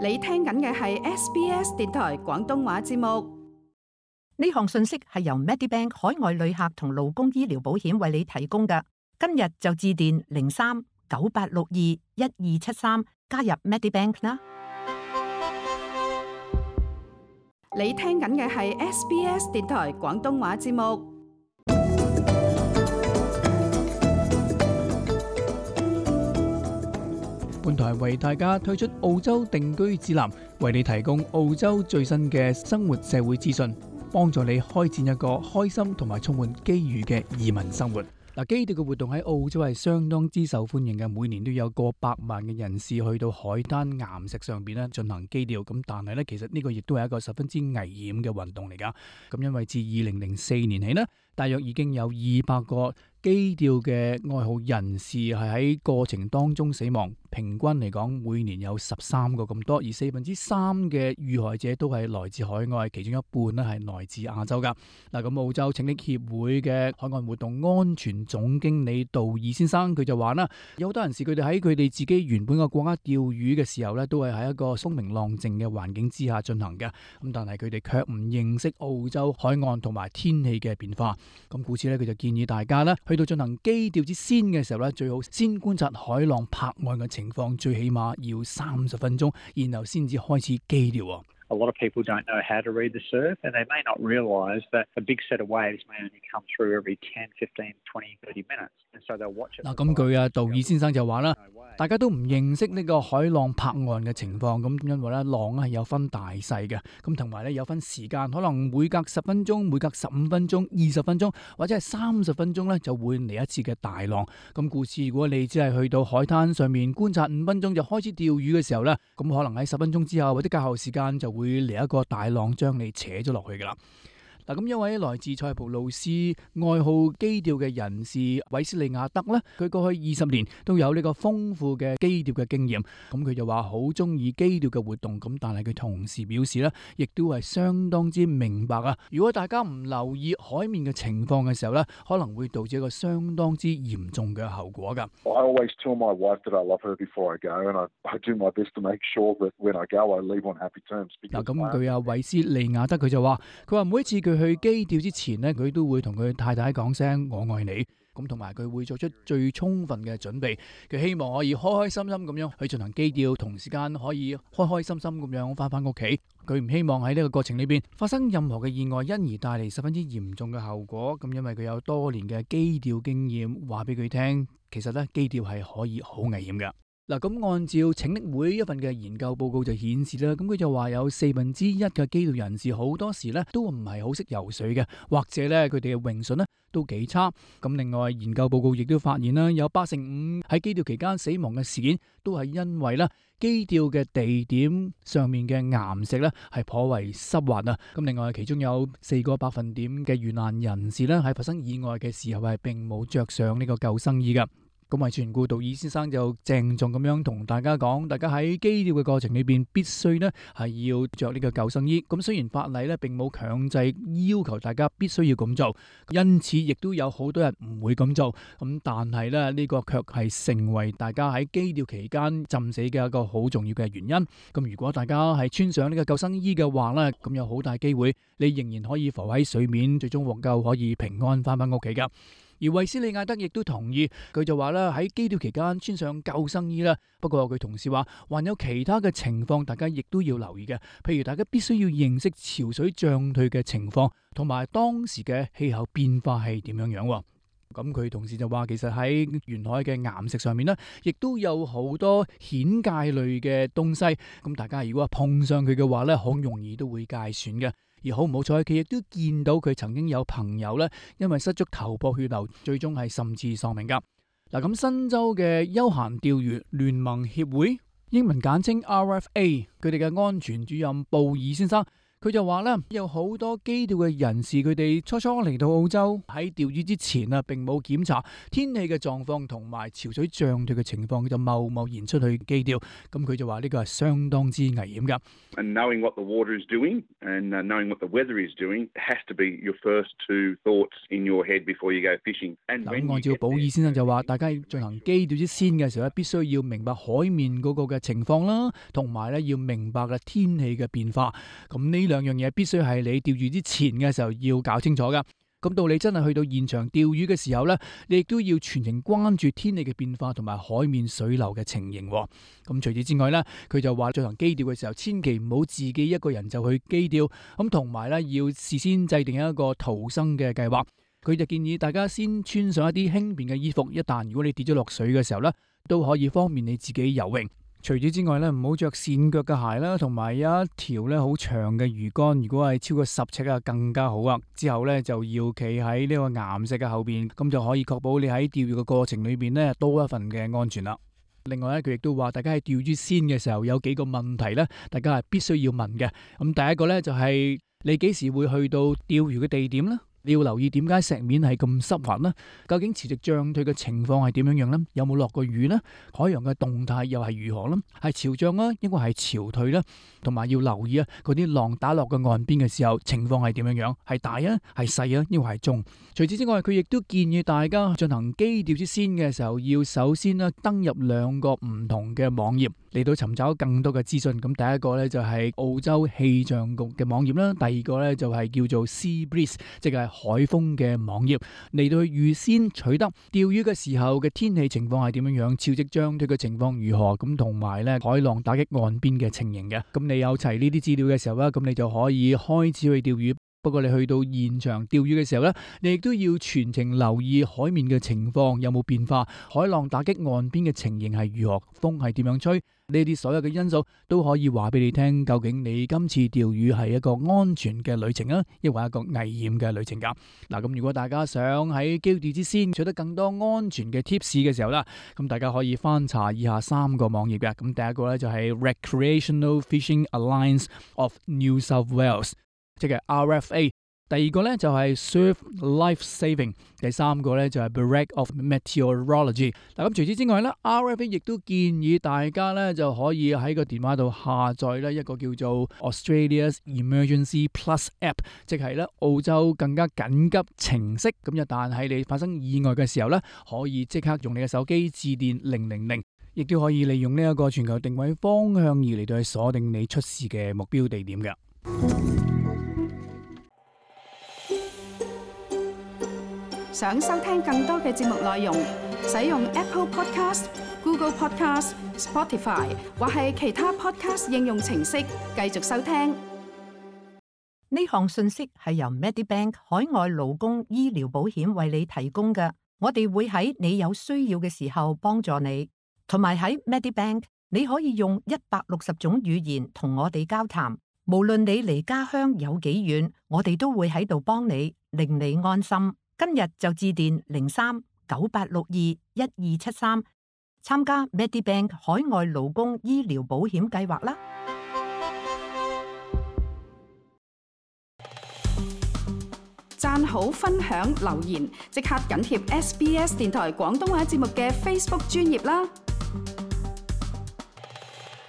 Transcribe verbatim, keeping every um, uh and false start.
你聽緊嘅係 S B S 電台廣東話節目。呢項信息係由 Medibank 海外旅客同勞工醫療保險為你提供嘅。今日就致電零三九八六二一二七三加入 Medibank 啦。你聽緊嘅係 S B S 電台廣東話節目。本台為大家推出澳洲定居指南，為你提供澳洲最新嘅生活社會資訊，幫助你開展一個開心同埋充滿機遇嘅移民生活。嗱，基調嘅活動喺澳洲係相當之受歡迎嘅，每年都有過百萬嘅人士去到海灘岩石上邊咧進行基調。咁但係咧，其實呢個亦都係一個十分之危險嘅運動嚟噶。咁因為自二零零四年起呢，大約已經有二百個基調嘅愛好人士係喺過程當中死亡，平均嚟講每年有十三個咁多，而四分之三嘅遇害者都係來自海外，其中一半咧係來自亞洲噶。嗱，咁澳洲拯溺協會嘅海岸活動安全總經理杜爾先生佢就話啦，有好多人士佢哋喺佢哋自己原本嘅國家釣魚嘅時候咧，都係喺一個風平浪靜嘅環境之下進行嘅。咁但係佢哋卻唔認識澳洲海岸同埋天氣嘅變化。咁故此咧，佢就建議大家咧，去到進行基調之先嘅時候咧，最好先觀察海浪拍岸嘅情況，最起碼要三十分鐘，然後先至開始基調。A lot of people don't know how to read the surf, and they may not realise that a big set of waves may only come through every ten, fifteen, twenty, thirty minutes. And so they'll watch it. 嗱，咁據啊杜爾先生就話啦，大家都唔認識呢個海浪拍岸嘅情況，咁因為咧浪係有分大細嘅，咁同埋咧有分時間，可能每隔十分鐘、每隔十五分鐘、二十分鐘或者係三十分鐘咧就會嚟一次嘅大浪。咁故此，如果你只係去到海灘上面觀察五分鐘就開始釣魚嘅時候咧，咁可能喺十分鐘之後或者較後時間就會會嚟一個大浪將你扯咗落去噶啦。嗱，咁一位來自塞浦路斯愛好基調嘅人士韋斯利亞德呢，佢過去二十年都有呢個豐富嘅基調嘅經驗。咁佢就話好中意基調嘅活動，咁但係佢同時表示呢，亦都係相當之明白啊。如果大家唔留意海面嘅情況嘅時候呢，可能會導致一個相當之嚴重嘅後果噶。I always tell my wife that I love her before I go, and I, I do my best to make sure that when I go, I leave on happy terms. 嗱，咁佢阿韋斯利亞德佢就話，佢話每一次佢去基調之前呢，佢都會同佢太太講聲我愛你，咁同埋佢會做出最充分嘅準備，佢希望可以開開心心咁樣去進行基調，同時間可以開開心心咁樣翻返屋企。佢唔希望喺呢個過程裏邊發生任何嘅意外，因而帶嚟十分之嚴重嘅後果。咁因為佢有多年嘅基調經驗，話俾佢聽，其實咧基調係可以好危險嘅。嗱，咁按照拯溺會一份嘅研究報告就顯示啦，咁佢就話有四分之一嘅基調人士好多時咧都唔係好識游水嘅，或者咧佢哋嘅泳術咧都幾差。咁另外研究報告亦都發現啦，有八成五喺基調期間死亡嘅事件都係因為咧基調嘅地點上面嘅岩石咧係頗為濕滑啊。咁另外其中有四個百分點嘅遇難人士咧喺發生意外嘅時候係並冇着上呢個救生衣噶。咁為全顧杜爾先生就鄭重咁樣同大家講，大家喺基調嘅過程裏邊必須呢係要着呢個救生衣。咁雖然法例呢並冇強制要求大家必須要咁做，因此亦都有好多人唔會咁做。咁但係呢，呢個卻係成為大家喺基調期間浸死嘅一個好重要嘅原因。咁如果大家係穿上呢個救生衣嘅話呢，咁有好大機會你仍然可以浮喺水面，最終獲救，可以平安翻返屋企噶。而韋斯利亞德亦都同意，佢就話啦，喺基調期間穿上救生衣啦。不過佢同時話，還有其他嘅情況，大家亦都要留意嘅。譬如大家必須要認識潮水漲退嘅情況，同埋當時嘅氣候變化係點樣樣。咁佢同時就話，其實喺沿海嘅岩石上面呢，亦都有好多蜆介類嘅東西。咁大家如果碰上佢嘅話呢，好容易都會介損嘅。而好唔好彩，佢亦都見到佢曾經有朋友咧，因為失足頭破血流，最終係甚至喪命噶。嗱，咁新州嘅休閒釣魚聯盟協會，英文簡稱 R F A， 佢哋嘅安全主任布爾先生，佢就話咧，有好多基調嘅人士，佢哋初初嚟到澳洲喺釣魚之前啊，並冇檢查天氣嘅狀況同埋潮水漲退嘅情況，就貿貿然出去基釣。咁佢就話呢個係相當之危險㗎。And knowing what the water is doing and knowing what the weather is doing has to be your first two thoughts in your head before you go fishing. 咁按照保爾先生就話，大家要進行基釣之先嘅時候咧，必須要明白海面嗰個嘅情況啦，同埋咧要明白嘅天氣嘅變化。咁呢兩樣嘢必須係你釣魚之前嘅時候要搞清楚噶。咁到你真係去到現場釣魚嘅時候呢，你亦都要全程關注天氣嘅變化同埋海面水流嘅情形。咁除此之外呢，佢就話進行基釣嘅時候，千祈唔好自己一個人就去基釣。咁同埋呢，要事先制定一個逃生嘅計劃。佢就建議大家先穿上一啲輕便嘅衣服，一旦如果你跌咗落水嘅時候呢，都可以方便你自己游泳。除此之外咧，唔好着跣腳嘅鞋啦，同埋有一條咧好長嘅魚竿，如果係超過十尺啊，更加好啊。之後咧就要企喺呢個岩石嘅後邊，咁就可以確保你喺釣魚嘅過程裏邊咧多一份嘅安全啦。另外咧，佢亦都話大家喺釣魚先嘅時候有幾個問題咧，大家係必須要問嘅。咁第一個咧就係你幾時會去到釣魚嘅地點咧？你要留意點解石面係咁濕滑呢？究竟潮汐漲退嘅情況係點樣樣呢？有冇落過雨呢？海洋嘅動態又係如何呢？係潮漲啊，抑或係潮退呢？同埋要留意啊，嗰啲浪打落個岸邊嘅時候，情況係點樣樣？係大啊，係細啊，抑或係中？除此之外，佢亦都建議大家進行基釣之先嘅時候，要首先呢登入兩個唔同嘅網頁嚟到尋找更多嘅資訊。咁第一個呢，就係澳洲氣象局嘅網頁啦，第二個呢，就係叫做 Sea Breeze， 即係海風嘅網頁，嚟到去預先取得釣魚嘅時候嘅天氣情況係點樣樣，潮汐漲退嘅情況如何，咁同埋咧海浪打擊岸邊嘅情形嘅。咁你有齊呢啲資料嘅時候咧，咁你就可以開始去釣魚。不過你去到現場釣魚嘅時候咧，你亦都要全程留意海面嘅情況有冇變化，海浪打擊岸邊嘅情形係如何，風係點樣吹，呢啲所有嘅因素都可以話俾你聽，究竟你今次釣魚係一個安全嘅旅程啊，抑或一個危險嘅旅程噶。嗱，咁如果大家想喺基釣之先取得更多安全嘅 tips 嘅時候啦，咁大家可以翻查以下三個網頁嘅。咁第一個咧就係 Recreational Fishing Alliance of New South Wales，即係 R F A， 第二個咧就係 Surf Life Saving， 第三個咧就係 Bureau of Meteorology。嗱，咁除此之外咧 ，R F A 亦都建議大家咧就可以喺個電話度下載咧一個叫做 Australia's Emergency Plus App， 即係咧澳洲更加緊急程式。咁一旦喺你發生意外嘅時候咧，可以即刻用你嘅手機致電零零零，亦都可以利用呢一個全球定位方向儀嚟到去鎖定你出事嘅目標地點嘅。想收聽更多嘅節目內容，使用 Apple Podcast、Google Podcast、Spotify 或係其他 Podcast 應用程式繼續收聽。呢項信息係由 Medibank 海外勞工醫療保險為你提供嘅。我哋會喺你有需要嘅時候幫助你，同埋喺 Medibank 你可以用一百六十種語言同我哋交談。無論你離家鄉有幾遠，我哋都會喺度幫你，令你安心。今日就致電零三九八六二一二七三，參加 Medibank 海外勞工醫療保險計劃啦。讚好、分享、留言，即刻緊貼 S B S 電台廣東話節目嘅 Facebook 專頁啦！